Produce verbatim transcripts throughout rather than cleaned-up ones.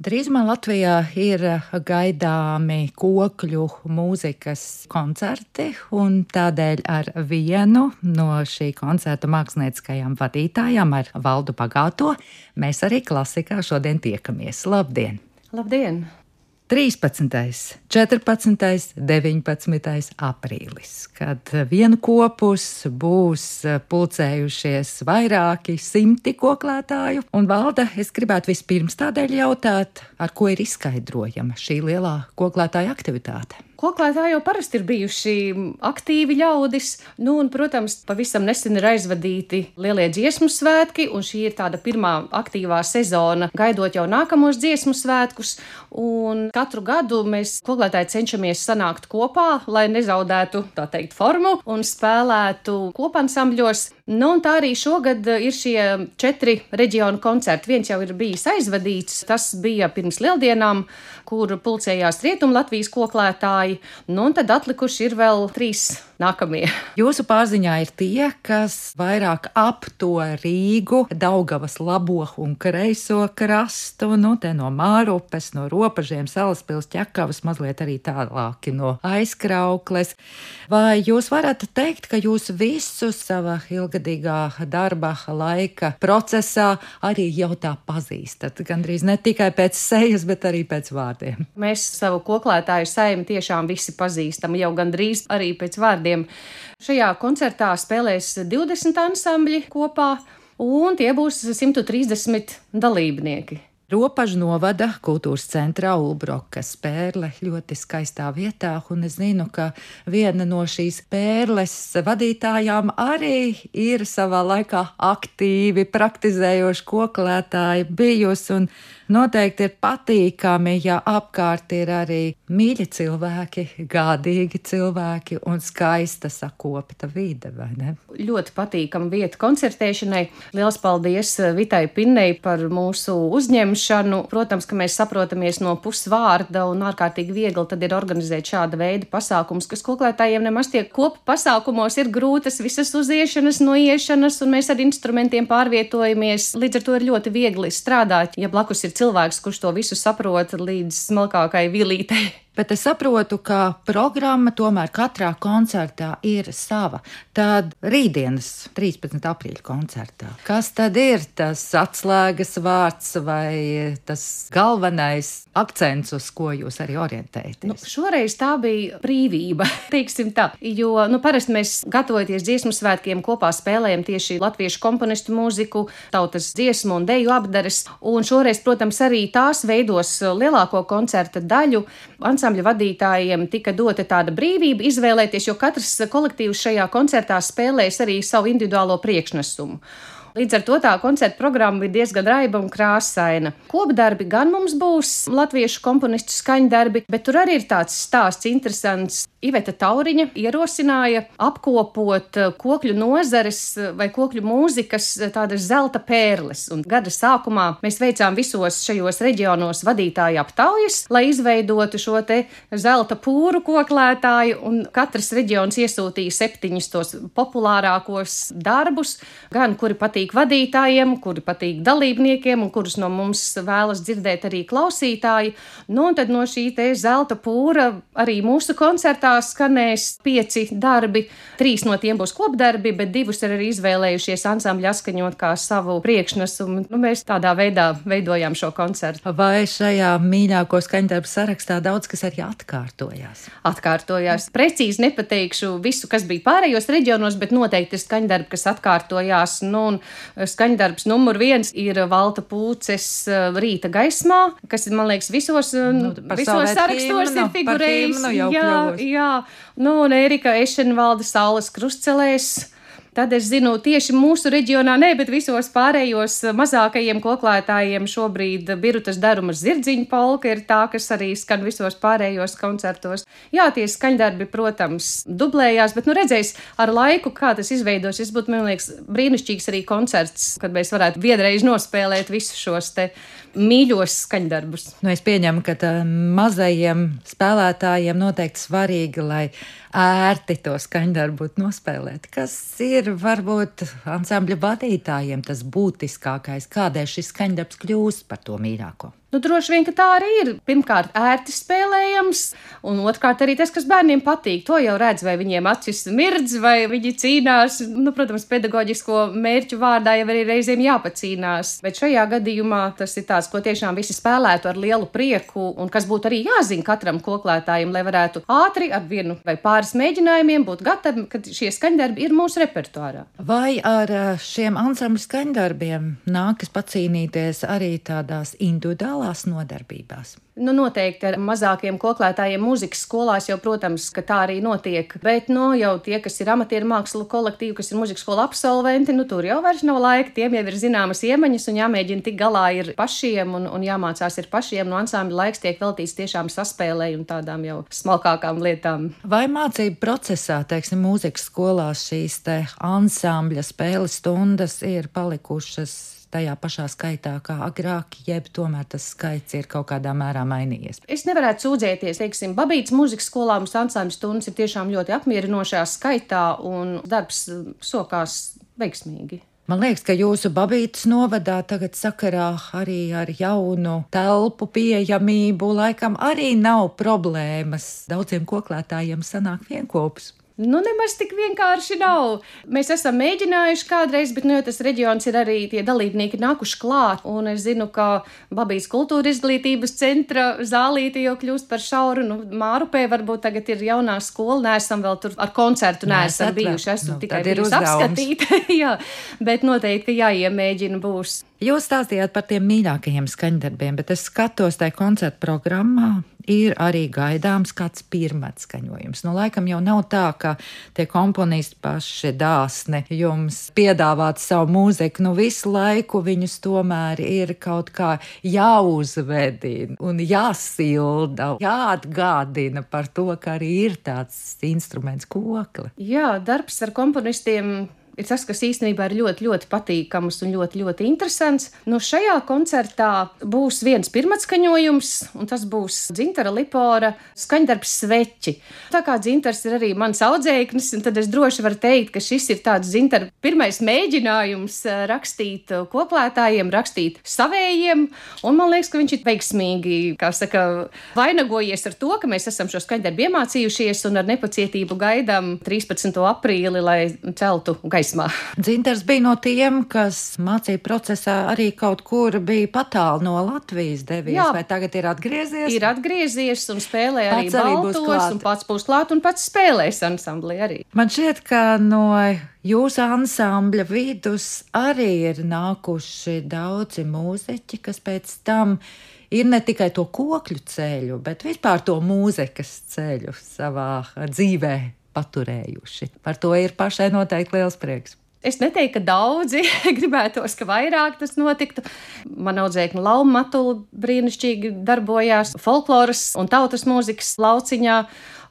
Drīzumā Latvijā ir gaidāmi kokļu mūzikas koncerti, un tādēļ ar vienu no šī koncerta mākslinieckajām vadītājām, ar Valdu Bagāto, mēs arī klasikā šodien tiekamies. Labdien! Labdien! trīspadsmitais, četrpadsmitais, deviņpadsmitais aprīlis, kad vienu kopus būs pulcējušies vairāki simti koklētāju. Un, Valda, es gribētu vispirms tādēļ jautāt, ar ko ir izskaidrojama šī lielā koklētāja aktivitāte? Koklētāji jau parasti ir bijuši aktīvi ļaudis, nu un, protams, pavisam nesen ir aizvadīti lielie dziesmu svētki, un šī ir tāda pirmā aktīvā sezona, gaidot jau nākamos dziesmu svētkus, un katru gadu mēs koklētāji cenšamies sanākt kopā, lai nezaudētu, tā teikt, formu un spēlētu kopansambļos. Nu un tā arī šogad ir šie četri reģionu koncerti. Viens jau ir bijis aizvadīts, tas bija pirms lieldienām, kur pulcējās Rietum Latvijas koklētāji. Nu, un tad atlikuši ir vēl trīs nākamie. Jūsu pārziņā ir tie, kas vairāk ap to Rīgu, Daugavas labo un kreiso krastu, nu, te no Mārupes, no Ropažiem, Salaspils, Ķekavas, mazliet arī tālāki no Aizkraukles. Vai jūs varat teikt, ka jūs visu sava ilgadīgā darba laika procesā arī jau tā pazīstat? Gandrīz ne tikai pēc sejas, bet arī pēc vārdiem. Mēs savu koklētāju saimi tiešām visi pazīstam, jau gandrīz arī pēc vārdiem. Šajā koncertā spēlēs divdesmit ansambļi kopā, un tie būs simt trīsdesmit dalībnieki. Ropažu novada kultūras centrā Ulbrokas pērle ļoti skaistā vietā, un es zinu, ka viena no šīs pērles vadītājām arī ir savā laikā aktīvi praktizējoši koklētāji bijusi, un noteikti ir patīkami, ja apkārt ir arī mīļi cilvēki, gādīgi cilvēki un skaista sakopta vide, vai ne? Ļoti patīkama vieta koncertēšanai. Liels paldies Vitai Pinnei par mūsu uzņemšanu. Protams, ka mēs saprotamies no pusvārda un ārkārtīgi viegli tad ir organizēt šāda veida pasākums, kas koklētājiem nemaz tie kopu pasākumos ir grūtas visas uziešanas, noiešanas, un mēs ar instrumentiem pārvietojamies. Līdz ar to ir ļoti viegli strādāt, ja blakus ir cilvēks, kurš to visu saprot līdz smalkākai vilītei. Bet es saprotu, ka programma tomēr katrā koncertā ir sava. Tad rītdienas trīspadsmitā aprīļa koncertā. Kas tad ir tas atslēgas vārds vai tas galvenais akcents, uz ko jūs arī orientējaties? Nu, šoreiz tā bija brīvība, teiksim tā, jo nu, parasti mēs gatavoties dziesmu svētkiem kopā spēlējam tieši latviešu komponistu mūziku, tautas dziesmu un deju apdares, un šoreiz, protams, arī tās veidos lielāko koncerta daļu. Ansambļa vadītājiem tika dota tāda brīvība izvēlēties, jo katrs kolektīvs šajā koncertā spēlēs arī savu individuālo priekšnesumu. Līdz ar to tā koncerta programma ir diezgan raiba un krāsaina. Kopdarbi gan mums būs latviešu komponistu skaņdarbi, bet tur arī ir tāds stāsts interesants. Iveta Tauriņa ierosināja apkopot kokļu nozares vai kokļu mūzikas tādas zelta pērles. Un gada sākumā mēs veicām visos šajos reģionos vadītāju aptaujas, lai izveidotu šo te zelta pūru koklētāju, un katrs reģions iesūtīja septiņus tos populārākos darbus, gan kuri patīk vadītājiem, kuri patīk dalībniekiem un kurus no mums vēlas dzirdēt arī klausītāji. Nu, un tad no šī te zelta pūra arī mūsu koncertā skanēs pieci darbi. Trīs no tiem būs kopdarbi, bet divus ir arī izvēlējušies ansambļi atskaņot kā savu priekšnesumu. Nu, mēs tādā veidā veidojām šo koncertu. Vai šajā mīļāko skaņdarbu sarakstā daudz kas arī atkārtojās? Atkārtojās. Precīzi nepateikšu visu, kas bija pārējos reģionos, bet noteikti ir skaņdarbi, kas atkārtojās. Nu, un skaņdarbs numur viens ir Valta Pūces Rīta gaismā, kas, man liekas, visos, nu, visos sarakstos ir figurējis. Jā, jā. Nu, un Ērika Ešenvalda Saules krustcelēs. Tad es zinu, tieši mūsu reģionā, ne, bet visos pārējos mazākajiem koklētājiem šobrīd Birutas Daruma zirdziņu polka ir tā, kas arī skan visos pārējos koncertos. Jā, tie skaņdarbi, protams, dublējās, bet nu redzēs ar laiku, kā tas izveidosies. Būtu, man liekas, brīnišķīgs arī koncerts, kad mēs varētu vienreiz nospēlēt visus šos te mīļos skaņdarbus. Nu, es pieņemu, ka tā mazajiem spēlētājiem noteikti svarīgi, lai ērti to skaņdarbu būtu nospēlēt. Kas ir varbūt ansambļa vadītājiem tas būtiskākais, kādēļ šis skaņdarbs kļūst par to mīļāko? Nu, droši vien, ka tā arī ir. Pirmkārt, ērti spēlējams, un otrkārt arī tas, kas bērniem patīk. To jau redz, vai viņiem acis mirdz, vai viņi cīnās. Nu, protams, pedagoģisko mērķu vārdā jau arī reizēm jāpacīnās. Bet šajā gadījumā tas ir tāds, ko tiešām visi spēlētu ar lielu prieku, un kas būtu arī jāzina katram koklētājam, lai varētu ātri ar vienu vai pāris mēģinājumiem būt gatavi, kad šie skaņdarbi ir mūsu repertuārā. Vai ar šiem ansambļu skaņdarbiem nākas pacīnīties arī tādās individuālās nodarbībās? Nu, noteikti ar mazākiem koklētājiem mūzikas skolās jau, protams, ka tā arī notiek, bet, nu, jau tie, kas ir amatieru mākslu kolektīvi, kas ir mūzikas skola absolventi, nu, tur jau vairs nav laika, tiem jau ir zināmas iemaņas un jāmēģina tik galā ir pašiem un, un jāmācās ir pašiem, no ansambļa laiks tiek veltīts tiešām saspēlēji un tādām jau smalkākām lietām. Vai mācību procesā, teiksim, mūzikas skolās šīs te ansambļa spēles stundas ir palikušas tajā pašā skaitā kā agrāk, jeb tomēr tas skaits ir kaut kādā mērā mainījies? Es nevarētu sūdzēties, teiksim, Babītas mūzikas skolā mums ansambļu stundas ir tiešām ļoti apmierinošā skaitā un darbs sokās veiksmīgi. Man liekas, ka jūsu Babītas novadā tagad sakarā arī ar jaunu telpu pieejamību laikam arī nav problēmas. Daudziem koklētājiem sanāk vienkopus. Nu, nemaz tik vienkārši nav. Mēs esam mēģinājuši kādreiz, bet, nu, jo tas reģions ir arī tie dalībnieki nākuši klāt, un es zinu, ka Babītas kultūra izglītības centra zālīte jau kļūst par šauru, nu, Mārupē varbūt tagad ir jaunā skola, neesam vēl tur ar koncertu, neesam bijuši, esmu nu, tikai bijusi apskatīt, jā, bet noteikti, ka jāiemēģina būs. Jūs stāstījāt par tiem mīļākajiem skaņdarbiem, bet es skatos tajā koncertu programmā, ir arī gaidāms kāds pirmats skaņojums. Nu, laikam jau nav tā, ka tie komponisti paši dāsni jums piedāvāt savu mūziku, nu visu laiku viņus tomēr ir kaut kā jāuzvedina un jāsilda, jāatgādina par to, ka arī ir tāds instruments kokle. Jā, darbs ar komponistiem ir tas, kas īstenībā ir ļoti, ļoti patīkams un ļoti, ļoti interesants. Nu, šajā koncertā būs viens pirmatskaņojums, un tas būs Dzintara Lipora skaņdarbs Sveķi. Tā kā Dzintars ir arī mans audzēknis, un tad es droši varu teikt, ka šis ir tāds Dzintara pirmais mēģinājums rakstīt koklētājiem, rakstīt savējiem, un man liekas, ka viņš ir veiksmīgi, kā saka, vainagojies ar to, ka mēs esam šo skaņdarbu iemācījušies un ar nepacietību gaidām trīspadsmito aprīli, lai celtu gaismu. Dzintars bija no tiem, kas mācību procesā arī kaut kur bija patāli no Latvijas devies, Jā, vai tagad ir atgriezies? Ir atgriezies un spēlē arī baltos, un pats būs klāt un pats spēlēs ansamblī arī. Man šķiet, ka no jūsu ansambļa vidus arī ir nākuši daudzi mūziķi, kas pēc tam ir ne tikai to kokļu ceļu, bet vispār to mūzikas ceļu savā dzīvē paturējuši. Par to ir pašai noteikti liels prieks. Es neteiktu, ka daudzi gribētos, ka vairāk tas notiktu. Man audzēkņa Lauma Matula brīnišķīgi darbojās folkloras un tautas mūzikas lauciņā.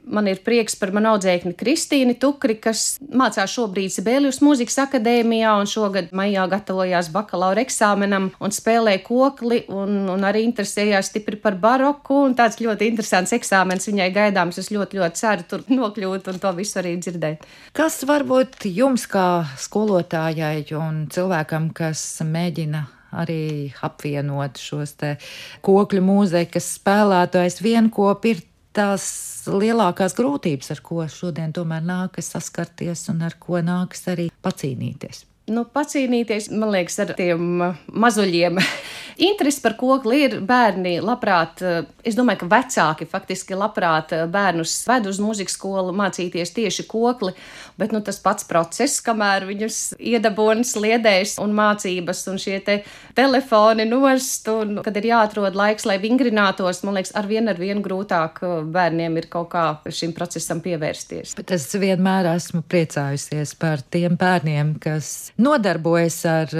Man ir prieks par manu audzēkni Kristīni Tukri, kas mācās šobrīd Sibelius mūzikas akadēmijā un šogad maijā gatavojās bakalaura eksāmenam un spēlē kokli un, un arī interesējās stipri par baroku un tāds ļoti interesants eksāmens viņai gaidāms. Es ļoti, ļoti ceru tur nokļūt un to visu arī dzirdēt. Kas varbūt jums kā skolotājai un cilvēkam, kas mēģina arī apvienot šos te kokļu mūzikas spēlētājus vienkop, ir tās lielākās grūtības, ar ko šodien tomēr nākas saskarties un ar ko nākas arī pacīnīties? Nu, pacīnīties, man liekas, ar tiem mazuļiem. Interesi par kokli ir bērni labprāt, es domāju, ka vecāki faktiski labprāt bērnus ved uz mūzikas skolu mācīties tieši kokli, bet nu, tas pats process, kamēr viņus iedabūna sliedēs un mācības un šie te telefoni nost, un kad ir jāatrod laiks, lai vingrinātos, man liekas, arvien ar vien grūtāk bērniem ir kaut kā šim procesam pievērsties. Bet es vienmēr esmu priecājusies par tiem bērniem, kas nodarbojas ar,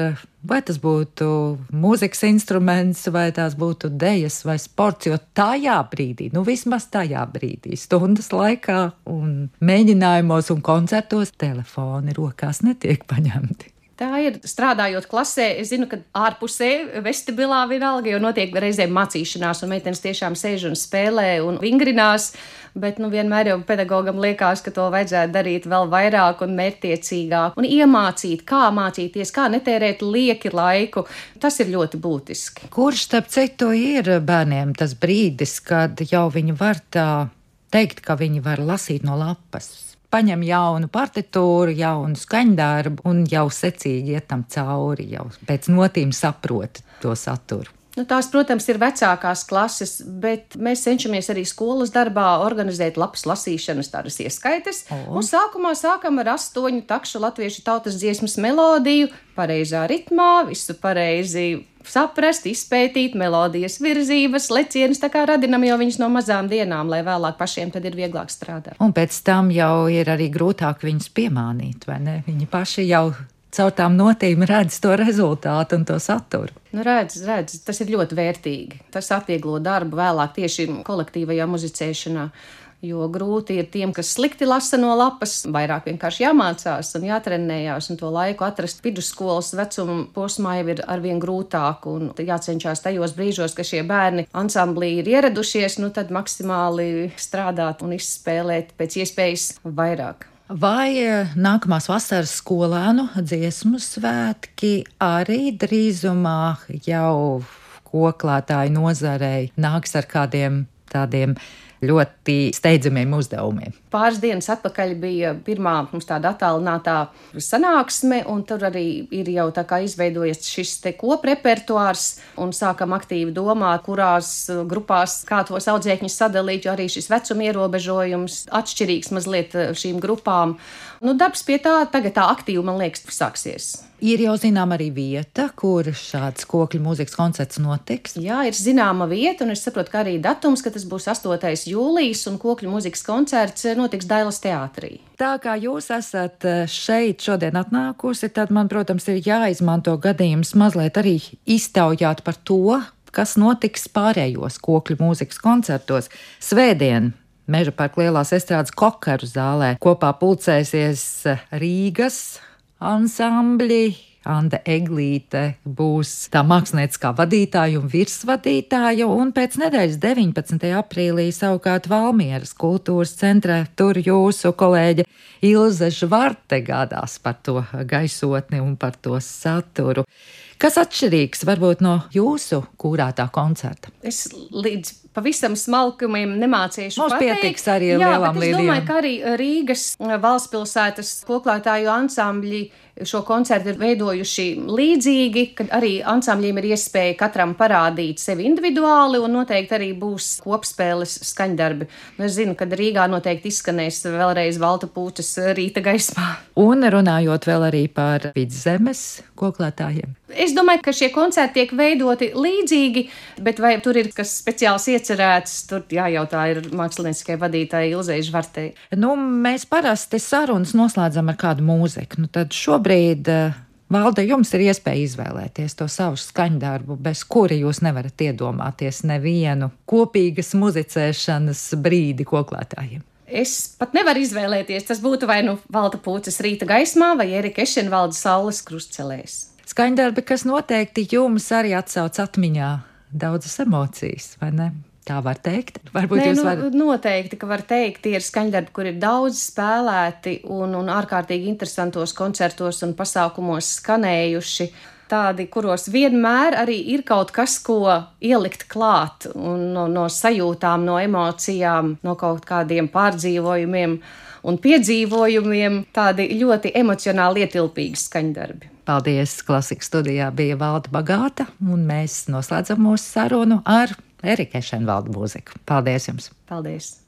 vai tas būtu mūzikas instruments, vai tās būtu dejas vai sports, jo tajā brīdī, nu vismaz tajā brīdī, stundas laikā un mēģinājumos un koncertos telefoni rokās netiek paņemti. Tā ir strādājot klasē. Es zinu, ka ārpusē, vestibilā vienalga, jo notiek reizēm mācīšanās, un meitenes tiešām sēž un spēlē un vingrinās, bet nu vienmēr jau pedagogam liekas, ka to vajadzētu darīt vēl vairāk un mērķtiecīgāk un iemācīt, kā mācīties, kā netērēt lieki laiku. Tas ir ļoti būtiski. Kurš, starp citu, ir bērniem tas brīdis, kad jau viņi var tā teikt, ka viņi var lasīt no lapas? Paņem jaunu partitūru, jaunu skaņdarbu un jau secīgi iet tam cauri, jau pēc notīm saprot to saturu. Nu, tās, protams, ir vecākās klases, bet mēs cenšamies arī skolas darbā organizēt lapas lasīšanas tādas ieskaites. Oh. Un sākumā sākam ar astoņu takšu latviešu tautas dziesmas melodiju, pareizā ritmā, visu pareizi saprast, izpētīt melodijas virzības, lecienus, tā kā radinam jau viņus no mazām dienām, lai vēlāk pašiem tad ir vieglāk strādāt. Un pēc tam jau ir arī grūtāk viņus piemānīt, vai ne? Viņi paši jau caur tām notīm redz to rezultātu un to saturu. Nu, redz, redz, tas ir ļoti vērtīgi. Tas atvieglo darbu vēlāk tieši kolektīvajā muzicēšanā. Jo grūti ir tiem, kas slikti lasa no lapas, vairāk vienkārši jāmācās un jātrenējās, un to laiku atrast vidusskolas vecuma posmā jau ir arvien grūtāk, un jācenšas tajos brīžos, ka šie bērni ansamblī ir ieradušies, nu tad maksimāli strādāt un izspēlēt pēc iespējas vairāk. Vai nākamās vasaras skolēnu dziesmu svētki arī drīzumā jau koklētāju nozarei nāks ar kādiem tādiem ļoti steidzamiem uzdevumiem? Pāris dienas atpakaļ bija pirmā mums tāda attālinātā sanāksme, un tur arī ir jau tā kā izveidojies šis te koprepertuārs, un sākam aktīvi domāt, kurās grupās kā tos audzēkņus sadalīt, jo arī šis vecuma ierobežojums atšķirīgs mazliet šīm grupām. Nu, darbs pie tā tagad tā aktīvi, man liekas, sāksies. Ir jau zinām arī vieta, kur šāds kokļu mūzikas koncerts notiks? Jā, ir zināma vieta, un es saprotu, ka arī datums, ka tas būs astotais jūlijas, un kokļu mūzikas koncerts notiks Dailas teātrī. Tā kā jūs esat šeit šodien atnākusi, tad man, protams, ir jāizmanto gadījums mazliet arī iztaujāt par to, kas notiks pārējos kokļu mūzikas koncertos. Svētdien Meža parka lielās estrādes Kokaru zālē kopā pulcēsies Rīgas ansambļi. Anda Eglīte būs tā mākslinieckā vadītāja un virsvadītāja, un pēc nedēļas deviņpadsmitajā aprīlī savukārt Valmieras kultūras centrā tur jūsu kolēģe Ilze Žvarte gādās par to gaisotni un par to saturu. Kas atšķirīgs varbūt no jūsu kūrētā koncerta? Es līdz pavisam smalkumiem nemācīšu Mums pateikt. Pietiks arī ar lielām līdījām. Jā, bet es domāju, ka arī Rīgas valstspilsētas koklētāju ansambļi šo koncertu ir veidojuši līdzīgi, kad arī ansambļiem ir iespēja katram parādīt sevi individuāli, un noteikti arī būs kopspēles skaņdarbi. Es zinu, ka Rīgā noteikti izskanēs vēlreiz Valta Pūčas Rīta gaismā. Un runājot vēl arī par Vidzemes koklētājiem. Es domāju, ka šie koncerti tiek veidoti līdzīgi, bet vai tur ir kas speciāls iecerēts, tur jājautā ir mākslinieckai vadītāji Ilzei Žvartei. Nu, mēs parasti sarunas noslēdzam ar kādu mūziku. Nu, tad šobrīd, Valde, jums ir iespēja izvēlēties to savu skaņdarbu, bez kura jūs nevarat iedomāties nevienu kopīgas muzicēšanas brīdi koklētājiem. Es pat nevaru izvēlēties, tas būtu vai nu Valta Pūčas Rīta gaismā vai Erika Ešenvalda Saules krustcelēs. Skaņdarbi, kas noteikti jums arī atsauc atmiņā daudzas emocijas, vai ne? Tā var teikt? Varbūt Nē, jūs nu, varat... Noteikti, ka var teikt, tie ir skaņdarbi, kur ir daudz spēlēti un, un ārkārtīgi interesantos koncertos un pasākumos skanējuši. Tādi, kuros vienmēr arī ir kaut kas, ko ielikt klāt, un no, no sajūtām, no emocijām, no kaut kādiem pārdzīvojumiem un piedzīvojumiem, tādi ļoti emocionāli ietilpīgi skaņdarbi. Paldies! Klasikas studijā bija Valda Bagāta, un mēs noslēdzam mūsu sarunu ar Erika Ešenvalda mūziku. Paldies jums! Paldies!